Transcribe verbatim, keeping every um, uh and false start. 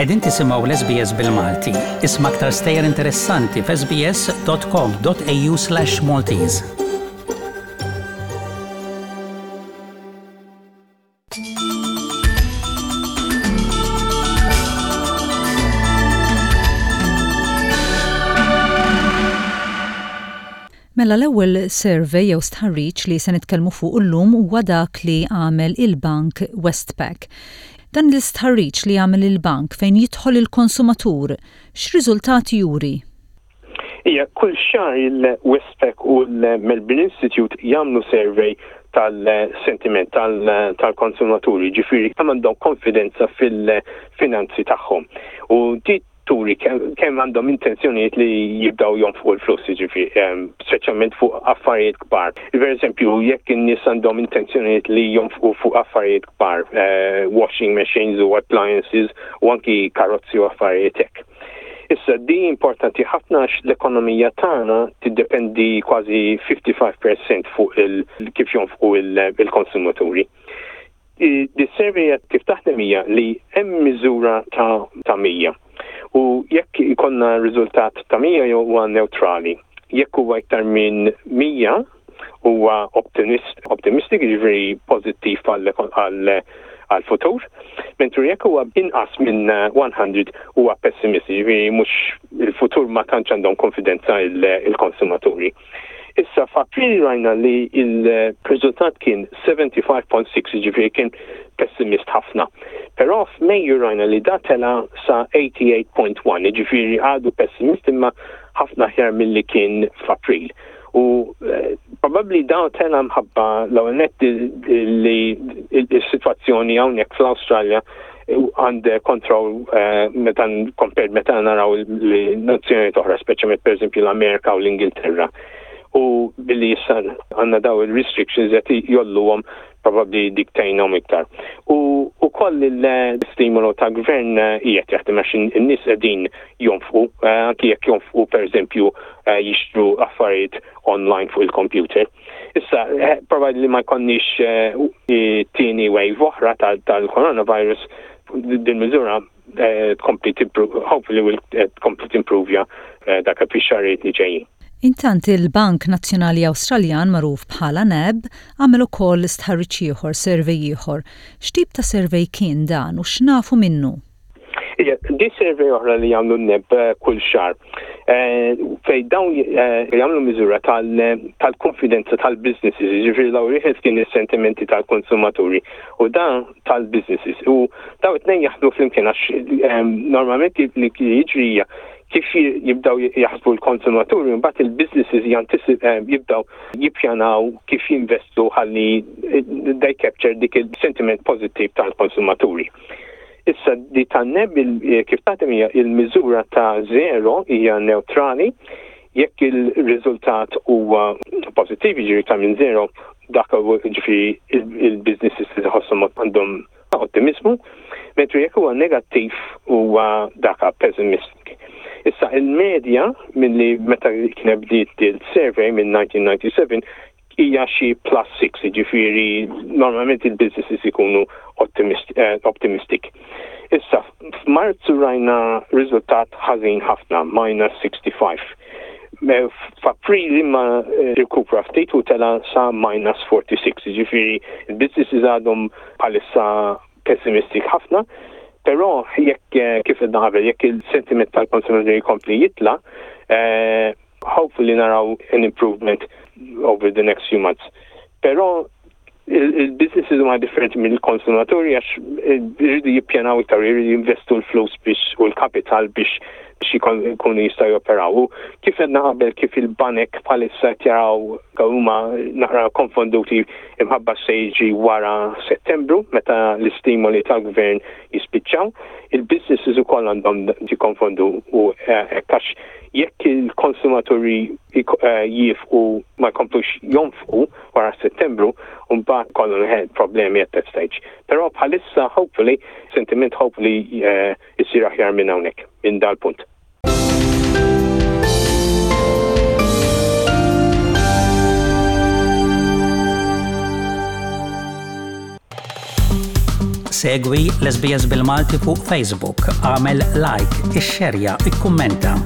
Qegħdin tisimgħu l-S B S bil-Malti. Isma' aktar stejjer interessanti f'S B S dot com dot A U slash Maltese. Mela, l-ewwel survey jew stħarriġ li se nitkellmu fuq illum huwa dak li għamel il-Bank Westpac. Dan l-istħarriġ li għamel il-bank fejn jidħol il-konsumatur, x'riżultati juri? Ija, kull xahar il-Westpac u l-Melbourne Institute jagħmlu survey tal-sentiment tal-konsumaturi, ġifieri kemm għandhom konfidenza fil-finanzi tagħhom. U di turi kemm għandhom intenzjonijiet li jibdaw jonfqu l-flus, ġifieri, speċjalment fuq affarijiet kbar. Per eżempju, jekk in-nies għandhom intenzjonijiet li jonfqu fuq affarijiet kbar, eh, washing machines u appliances u anki karozzi u affarijiet hekk. Issa, di importanti ħafna għax l-ekonomija tagħna tiddependi kważi ħamsa u ħamsin fil-mija fuq il kif jonfqu il-konsumaturi. Di survey kif taħdem hija li hemm miżura ta' ta' mija. U jekk ikollna riżultat ta' mija huwa neutrali. Jekk huwa iktar minn mija huwa optimist, optimistic, ġifieri pożittiv għal-futur, mentri jekk huwa inqas minn mija huwa pessimist, ġifieri mhux il-futur, ma tantx għandhom konfidenza il-konsumaturi. Issa, f'April rajna li il-riżultat kien sebgħa u sebgħin punt sitta, ġifieri kien pessimist ħafna. Però f'Mejju rajna li da tela sa tmienja u tmenin punt wieħed, ġifieri għadu pessimist imma ħafna aħjar milli kien f'April. U eh, probabbli daw tela mħabba l-ewwel li il-sitwazzjoni hawnhekk fl-Awstralja under control eh, meta compared meta naraw li nazzjoni oħra, speċjalment per eżempju l-Amerika u l-Ingilterra. U billi issa għandna daw il-restrictions qed jgħolluhom, probabbli dik tgħinhom iktar. U ukoll il-stimolo ta' gvern qiegħed jaħdem għax in-nies qegħdin jonfqu, eh, anki jekk jonfqu, per eżempju, eh, jixtru affarijiet online fuq il-computer. Issa, eh, probabbli li ma jkollniex tieni wave oħra tal-coronavirus, din miżura tkompli, hopefully will tkompli timprovja dak fix-xaharijiet li ġejjin. Intant, il-Bank Nazzjonali Awstraljan, magħruf bħala NAB, għamel ukoll stħarriġ ieħor, survey ieħor. X'tip ta' survey kien dan u x'nafu minnu? Ija, di survey oħra li jagħmlu N A B eh, kull xahar. Eh, fej dawn eh, jagħmlu miżura tal-konfidenza tal-businesses, ġifieri l wieħed kien is-sentimenti tal-konsumaturi u dan tal-businesses. U daw it-tnejn jaħdmu flimkien għax normalment li jiġri hija kif jibdaw jaħsbu l-konsumaturi, mbagħad il-businesses jibdaw jippjanaw kif jinvestu ħalli they capture dik il-sentiment pozittiv tal-konsumaturi. Issa, di tan-N A B kif taħdem hija il-miżura ta' zero hija neutrali, jekk il-riżultat huwa pożittiv, ġifieri ta' minn zero, dak ġifieri il-businesses li tħosshom għandhom ottimizmu, mentri jekk huwa negattiv huwa daka pessimistic. Issa, il-medja minn li meta kien bdiet il-survey minn elf disa' mija u disgħa u disgħin hija xi plus sitta, ġifieri normalment il-businesses ikunu eh, optimistic. Issa, f'Marzu rajna riżultat ħażin ħafna, minus sitta u ħamsin. F'April imma eh, rikupra ftit u tela sa minus sitta u erbgħin, ġifieri il-businesses għadhom bħalissa pessimistic ħafna, però jekk eh, kif għedna qabel, jekk il-sentiment tal-konsumaturi jkompli jitla, hopefully naraw an improvement over the next few months. Però il-businesses huma differenti mill-konsumaturi għax jridu jippjanaw iktar, jridu jinvestu l-flus biex u l-kapital biex biex jkunu jistgħu joperaw. U kif għedna qabel, kif il-banek bħalissa jaraw huma naqra konfonduti imħabba se jiġi wara Settembru meta l-istimoli tal-gvern jispiċċaw, il-businesses ukoll għandhom jikkonfondu u eh, għax jekk il-konsumaturi eh, jieqfu, ma jkomplux jonfqu wara Settembru, mbagħad ikollhom problemi at that stage. Però bħalissa hopefully, sentiment hopefully uh, isir aħjar minn hawnhekk, minn dal-punt. Segwi l-S B S bil-Malti fuq Facebook, għamel like, ixxerja, ikkummenta.